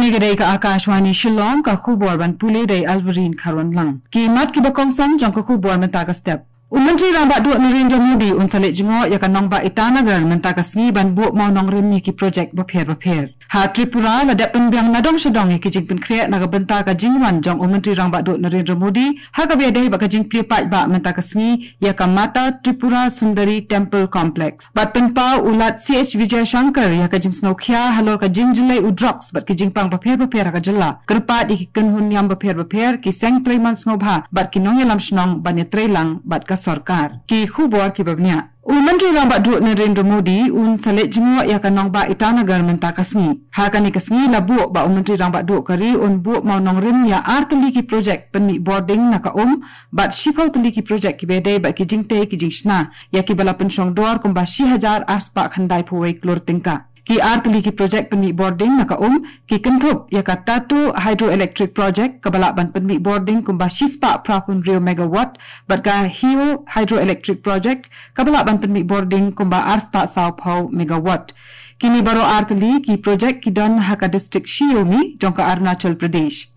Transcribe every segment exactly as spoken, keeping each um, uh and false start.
Kane ka dei ka Akashvani Shillong, ka khubor ban pule da i Alverine Kharwanlang. Ki mat kiba kongsan jong ka khubor mynta ka step. U Myntri Rangbah Duh Narendra Modi un sa leit jngoh ïa ka nongbah Itanagar mynta ka sngi ban buh mawnongrim ïa ki projek bapher bapher. Ha Tripura, la dep pynbiang nadong shadong ïa ki jingpynkhreh na ka bynta ka jingwan jong u Myntri Rangbah Duh Narendra Modi ha kaba ïadei bad ka jingplie paidbah mynta ka sngi ïa ka Mata Tripura Sundari Temple Complex. Bad pynpaw u Lat C H Vijayashankar ïa ka jingsngewkhia halor ka jingjyllei u drugs bad ki jingpang bapher bapher ha ka jylla. Kyrpad ïa ki kynhun niam bapher bapher, ki seng trei mon sngewbha bad ki nongïalam shnong ban ïatreilang bad ka sorkar. Ki khubor kiba bniah. U Myntri Rangbah Duh Narendra Modi un sa leit jngoh ïa ka nongbah Itanagar mynta ka sngi. Ha kane ka sngi la buh ba u Myntri Rangbah Duh ka ri un buh mawnongrim ïa artylli ki projek pynmih bording na ka um bad shiphew tylli ki projek kiba ïadei bad ki jingtei ki jingshna ïa kiba la pynshong dor kumba shi hajar arspah khyndai phew wei klur tyngka. Ki artylli ki projek pynmih bording na ka um ki kynthup ïa ka Tatu Hydroelectric Project kaba lah ban pynmih bording kumba shispah phra phew hynriew megawatt bad ka Hio Hydroelectric Project kaba lah ban pynmih bording kumba arspah saw phew megawatt. Kine baroh artylli ki projek ki don ha ka distrik Shi Yomi jong ka Arunachal Pradesh.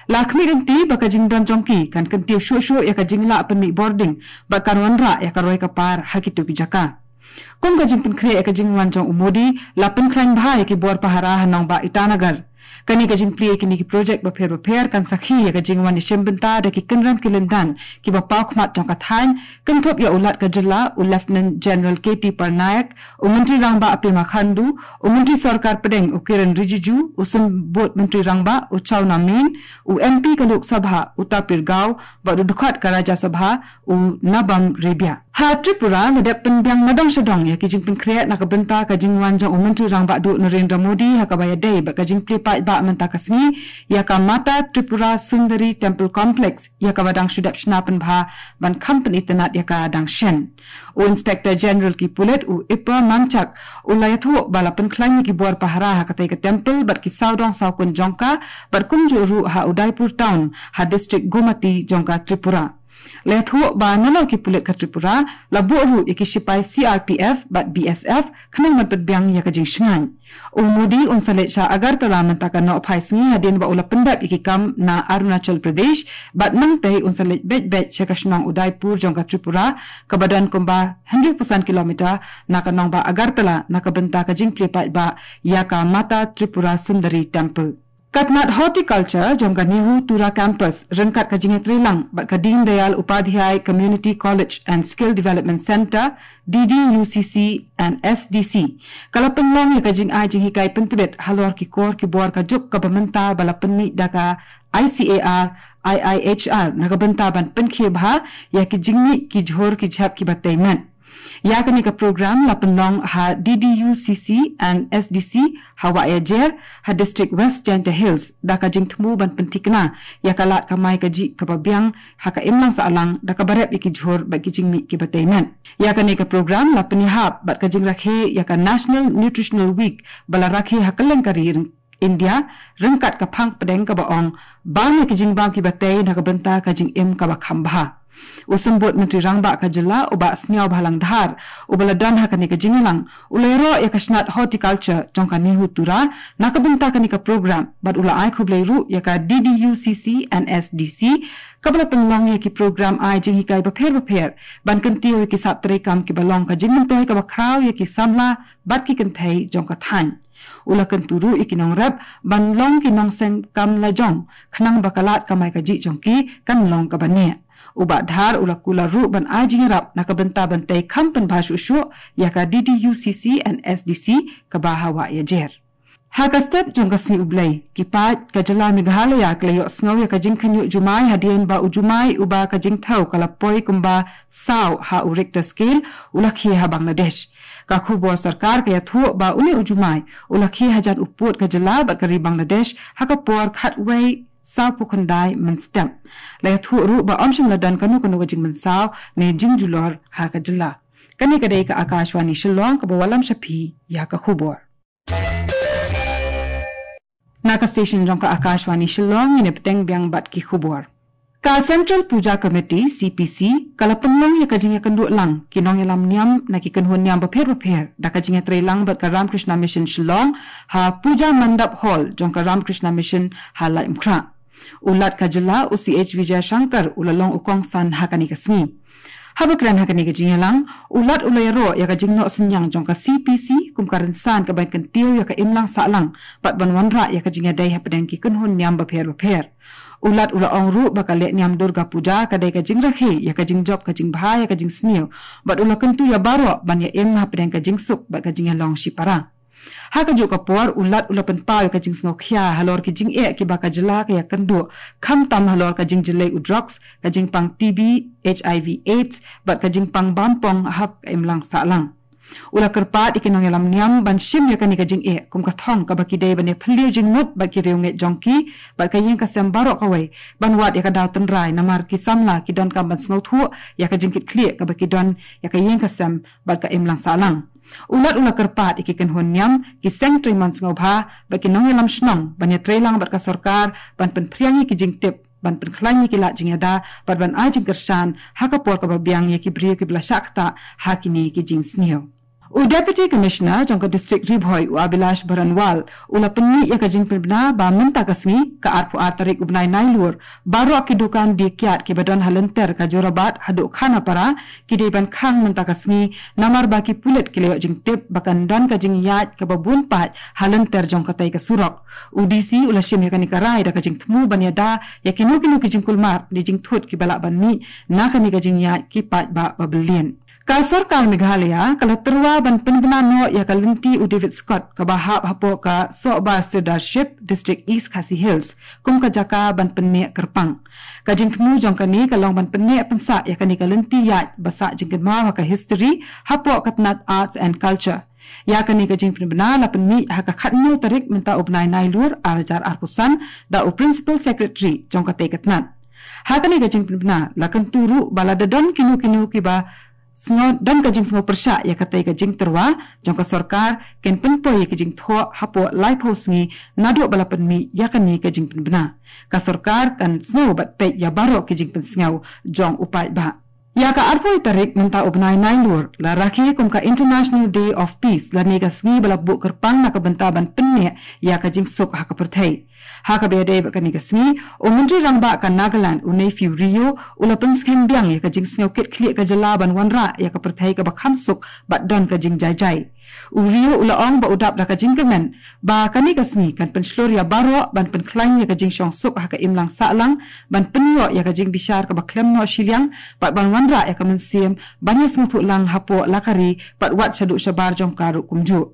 La khmih lynti ba ka jingdon jong ki kan kyntiew shuh shuh ïa ka jinglah pynmih bording bad kan wanrah ïa ka roi ka par ha kito ki jaka. Kum ka jingpynkhreh ïa ka jingwan jong u Modi, la pynkhlaiñ bha ïa ki bor pahara ha nongbah Itanagar. Kane ka jingplie ïa kine ki projek bapher bapher kan sakhi ïa ka jingwan ïashim bynta da ki kynrem ki lyndan kiba paw khmat jong ka thaiñ, kynthup ïa u Lat ka jylla, u Lieutenant General K T Parnaik, u Myntri Rangbah Pema Khandu, u Myntri Sorkar Pdeng u Kiren Rijiju, u Symbud Myntri Rangbah u Chawna Mein, u M P ka Lok Sabha u Tapir Gao bad u dkhot ka Rajya Sabha u Nabam Rebia. Ha Tripura, la dep pynbiang nadong shadong ïa ki jingpynkhreh na ka bynta ka jingwan jong u Myntri Rangbah Duh Narendra Modi ha kaba ïadei bad ka jingplie paidbah mynta ka sngi ïa ka Mata Tripura Sundari Temple Complex, ïa kaba dang shu dep shna pynbha ban kham pynitynnad ïa ka dang shen. U Inspector General ki pulit u Ipa Manchak u la ïathuh ba la pynkhlaiñ ïa ki bor pahara ha katei ka temple bad ki sawdong sawkun jong ka bad kumjuh ruh ha Udaipur Town ha distrik Gomati jong ka Tripura. La ïathuh ba nalor ki pulit ka Tripura la buh ruh ïa ki shipai C R P F bad B S F khnang ban pynbiang ïa ka jingshngaiñ. U Modi un sa leit sha Agartala mynta ka nohphai sngi hadien ba u la pyndep ïa ki kam na Arunachal Pradesh bad nangtei un sa leit beit beit sha ka shnong Udaipur jong ka Tripura kaba don kumba hynriewphew san kilometer na ka nongbah Agartala na ka bynta ka jingplie paidbah ïa ka Mata Tripura Sundari Temple. Ka tnat Horticulture jong ka NEHU Tura Campus ryngkat ka jingïatreilang bad ka Deen Dayal Upadhyay Community College and Skill Development Centre, D D U C C and S D C, ka la pynlong ïa ka jingai jinghikai pyntbit halor ki kor ki bor ka juk kaba mynta ba la pynmih da ka I C A R, I I H R na ka bynta ban pynkhie bha ïa ki jingmih ki jhur ki jhep kiba tei met. Ïa kane ka program la pynlong ha D D U C C and S D C ha Wahiajer ha distrik West Jaintia Hills da ka jingthmu ban pynthikna ïa ka lad kamai kajih kaba biang ha ka imlang sahlang da kaba rep ïa ki jhur bad ki jingmih kiba tei met. Ïa kane ka program la pynïahap bad ka jingrakhe ïa ka National Nutritional Week ba la rakhe ha kylleng ka ri India, ryngkat ka phang pdeng kaba ong bam ïa ki jingbam kiba tei na ka bynta ka jingim kaba kham bha. U Symbud Myntri Rangbah ka jylla u Bah Sniawbhalang Dhar uba la don ha kane ka jingïalang u la ïaroh ïa ka tnat Horticulture jong ka NEHU Tura na ka bynta kane ka program bad u la ai khublei ruh ïa ka D D U C C and S D C kaba la pynlong ïa ki program ai jinghikai bapher bapher ban kyntiew ïa ki sap treikam kiba long ka jingmyntoi kaba khraw ïa ki samla bad ki kynthei jong ka thaiñ. U la kyntu ruh ïa ki nongrep ban long ki nongseng kam lajong khnang ba ka lad kamai kajih jong ki kan long kaba neh. U Bah Dhar u la kular ruh ban ai jingïarap na ka bynta ban tei kham pynbha shuh shuh ïa ka D D U C C and S D C kaba ha Wahiajer. Ha ka step jong ka Sngi U Blei, ki paid ka jylla Meghalaya ki la ïohsngew ïa ka jingkhynñiuh jumai hadien ba u jumai uba ka jingthew ka la poi kumba saw ha u Richter scale u la khie ha Bangladesh. Ka khubor sorkar ka ïathuh ba une u jumai u la khie hajan u pud ka jylla bad ka ri Bangladesh ha ka por khatwei sawphew khyndai mynstep. La ïathuh ruh ba ym shym la don kano kano ka jingmynsaw ne jingjulor ha ka jylla. Kane ka dei ka Akashvani Shillong kaba wallam sha phi ïa ka khubor. Na ka station jong ka Akashvani Shillong ngin ïa bteng biang bad ki khubor. Ka Central Puja Committee, C P C, ka la pynlong ïa ka jingïakynduh lang ki nongïalam niam na ki kynhun niam bapher bapher da ka jingïatreilang bad ka Ramakrishna Mission Shillong ha Puja Mandap Hall jong ka Ramakrishna Mission ha Laitumkhrah. U Lat ka Jylla, u C H Vijayashankar, u la long u kongsan ha kane ka sngi. Haba kren ha kane ka jingïalang, u Lat u la ïaroh ïa ka jingnoh synñiang jong ka C P C kum ka rynsan ka ban kyntiew ïa ka imlang sahlang bad ban wanrah ïa ka jingïadei hapdeng ki kynhun niam bapher bapher. U Lat u la ong ruh ba ka lehniam Durga Puja ka dei ka jingrakhe ïa ka jingjop ka jingbha ïa ka jingsniew, bad u la kyntu ïa baroh ban ïa im hapdeng ka jingsuk bad ka jingïalong shipara. Ha kajuh ka por, u Lat u la pynpaw ïa ka jingsngewkhia halor ki jingeh kiba ka jylla ka ïakynduh, khamtam halor ka jingjyllei u drugs, ka jingpang T B, H I V AIDS bad ka jingpang bampong ha ka imlang sahlang. U la kyrpad ïa ki nongïalam niam ban shim ïa kane ka jingeh kum ka thong kaba ki dei ban ïaphylliew jingmut bad ki riewngeit jong ki bad ka ïing ka sem baroh kawei, ban wad ïa ka daw tynrai namar ki samla ki donkam ban sngewthuh ïa ka jingkitkhlieh kaba ki don ïa ka ïing ka sem bad ka imlang sahlang. U Lat u la kyrpad ïa ki kynhun niam, ki seng treilang sngewbha bad ki nongïalam shnong ban ïatreilang bad ka sorkar ban pynphriang ïa ki jingtip, ban pynkhlaiñ ïa ki lad jingïada bad ban ai jingkyrshan ha ka por kaba biang ïa ki briew kiba la shah ktah ha kine ki jingsniew. U Deputy Commissioner jong ka District Ri Bhoi, u Abhilash Baranwal, u la pynmih ïa ka jingpynbna ba mynta ka sngi, ka arphew ar tarik u bnai Nailur, baroh ki dukan die kiad kiba don ha lynter ka Jorabat haduh Khanapara ki dei ban khang mynta ka sngi, namar ba ki pulit ki la ïoh jingtip ba kan don ka jingïaid kaba bun paid ha lynter jong katei ka surok. U D C u la shim ïa kane ka rai da ka jingthmu ban ïada ïa kino kino ki jingkulmar ne jingthut kiba lah ban mih na kane ka jingïaid ki paidbah ba byllien. Ka sorkar Meghalaya ka la tyrwa ban pynbna noh ïa ka lynti u David Scott kaba hap hapoh ka Sohbar Sirdarship, District East Khasi Hills, kum ka jaka ban pynneh kyrpang. Ka jingthmu jong kane ka long ban pynneh pynsah ïa kane ka lynti ïaid ba sah jingkynmaw ha ka history hapoh ka tnat Arts and Culture. Ïa kane ka jingpynbna la pynmih ha ka khatnïew tarik mynta u bnai Nailur ar hajar arphew san da u Principal Secretary jong katei ka tnat. Ha kane ka jingpynbna la kyntu ruh ba lada don kino kino kiba sngew, don ka jingsngew pyrshah ïa katei ka jingtyrwa jong ka sorkar, kin pynpoi ïa ka jingthoh hapoh laiphew sngi naduh ba la pynmih ïa kane ka jingpynbna. Ka sorkar kan sngew bad peit ïa baroh ki jingpynsngew jong u paidbah. Ïa ka arphew tarik mynta u bnai Nailur la rakhe kum ka International Day of Peace, lane ka sngi ba la buh kyrpang na ka bynta ban pynneh ïa ka jingsuk ha ka pyrthei. Ha kaba ïadei bad kane ka sngi, u Myntri Rangbah ka Nagaland, u Neiphiu Rio, u la pynskhem biang ïa ka jingsngew kitkhlieh ka jylla ban wanrah ïa ka pyrthei kaba kham suk bad don ka jingjaijai. U Rio u la ong ba u dap da ka jingkyrmen ba kane ka sngi kan pynshlur ïa baroh ban pynkhlaiñ ïa ka jingshongsuk ha ka imlang sahlang, ban pynïoh ïa ka jingbishar kaba khlem noh shiliang bad ban wanrah ïa ka mynsiem ban ïasngewthuh lang hapoh la ka ri bad wat shaduh shabar jong ka ruh kumjuh.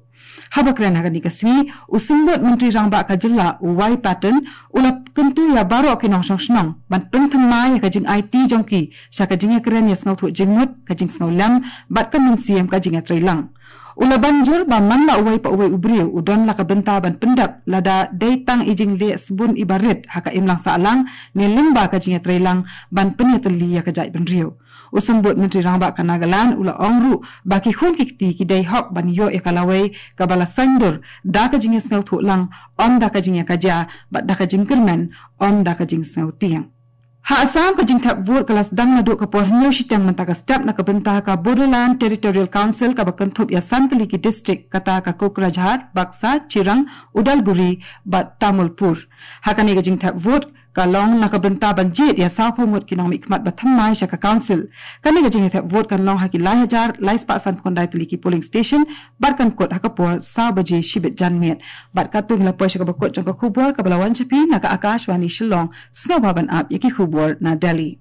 Haba kren ha kane ka sngi, u Symbud Myntri Rangbah ka jylla, u Y Patton, u la kyntu ïa baroh ki nongshong shnong ban pynthymmai ïa ka jingaiti jong ki sha ka jingïakren ïasngewthuh jingmut, ka jingsngewlem bad ka mynsiem ka jingïatreilang. U la ban jur ba man la uwei pa uwei u briew u don la ka bynta ban pyndep lada dei tang i jingleh sbun iba rit ha ka imlang sahlang ne lyngba ka jingïatreilang ban pynïatylli ïa ka jaitbynriew. U Symbud Myntri Rangbah ka Nagaland u la ong ruh ba ki khun ki kti ki dei hok ban ïoh ïa ka lawei kaba la saiñdur da ka jingïasngewthuh lang, ym da ka jingïakajia, bad da ka jingkyrmen, ym da ka jingsngewtieng. Ha Assam, ka jingthep vote ka la sdang naduh ka por hynñiew shiteng mynta ka step na ka bynta ka Bodoland Territorial Council kaba kynthup ïa san tylli ki district, kata ka Kokrajhar, Baksa, Chirang, Udalguri bad Tamulpur. Ha kane ka jingthep vote ka long na ka bynta ban jied ïa sawphew ngut ki nongmihkhmat ba thymmai sha ka council. Kane ka jingthep vote kan long ha ki lai hajar lai spah sanphew khyndai tylli ki polling station bad kan kut ha ka por saw baje shibit janmiet. Bad katto ngi la poi sha kaba kut jong ka khubor kaba la wan sha phi na ka Akashvani Shillong. Sngewbha ban ap ïa ki khubor na Delhi.